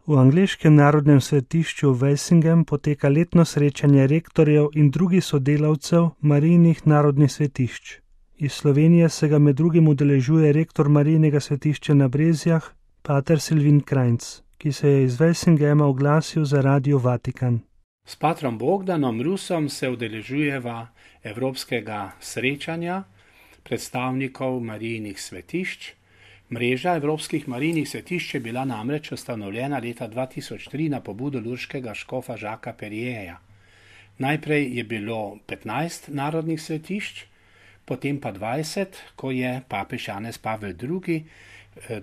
V angleškem narodnem svetišču Velsingem poteka letno srečanje rektorjev in drugih sodelavcev Marijinih narodnih svetišč. Iz Slovenije se ga med drugim udeležuje rektor Marijinega svetišča na Brezjah, pater Silvin Krajnc, ki se je iz Velsingema oglasil za Radio Vatikan. S patrom Bogdanom Rusom se udeležujeva evropskega srečanja predstavnikov Marijinih svetišč. Mreža evropskih Marijinih svetišč je bila namreč ustanovljena leta 2003 na pobudo lurškega škofa Žaka Perjeja. Najprej je bilo 15 narodnih svetišč, potem pa 20, ko je papež Janez Pavel II.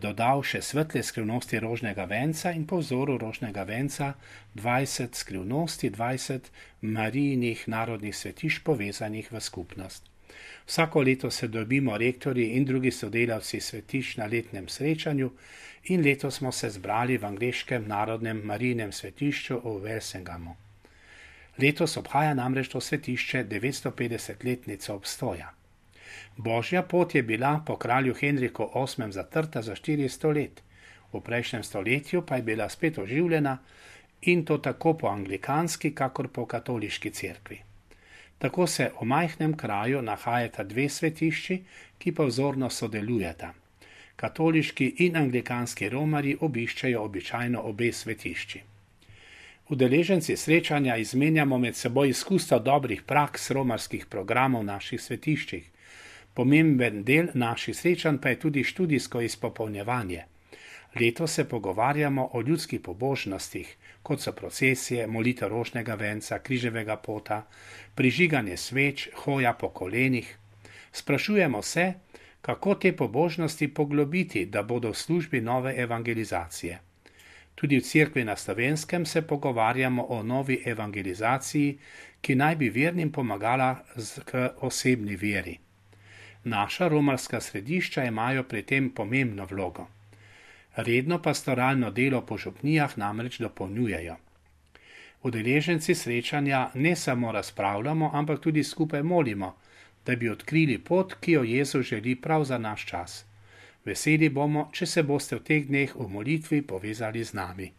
Dodal še svetle skrivnosti rožnega venca in po vzoru rožnega venca 20 skrivnosti, 20 Marijinih narodnih svetišč povezanih v skupnost. Vsako leto se dobimo rektorji in drugi sodelavci svetišč na letnem srečanju in letos smo se zbrali v angleškem narodnem Marijinem svetišču v Velsingamu. Letos obhaja namreč to svetišče 950-letnico obstoja. Božja pot je bila po kralju Henriku VIII. Zatrta za 400 let, v prejšnjem stoletju pa je bila spet oživljena in to tako po anglikanski, kakor po katoliški cerkvi. Tako se v majhnem kraju nahajata dve svetišči, ki pa vzorno sodelujeta. Katoliški in anglikanski romarji obiščejo običajno obe svetišči. Udeleženci srečanja izmenjamo med seboj izkustva dobrih praks romarskih programov v naših svetiščih. Pomemben del naših srečanj pa je tudi študijsko izpopolnjevanje. Letos se pogovarjamo o ljudskih pobožnostih, kot so procesije, molitev rožnega venca, križevega pota, prižiganje sveč, hoja po kolenih. Sprašujemo se, kako te pobožnosti poglobiti, da bodo v službi nove evangelizacije. Tudi v cerkvi na Slovenskem se pogovarjamo o novi evangelizaciji, ki naj bi vernim pomagala k osebni veri. Naša romarska središča imajo pri tem pomembno vlogo. Redno pastoralno delo po župnijah namreč dopolnjujejo. Udeleženci srečanja ne samo razpravljamo, ampak tudi skupaj molimo, da bi odkrili pot, ki jo Jezus želi prav za naš čas. Veseli bomo, če se boste v teh dneh v molitvi povezali z nami.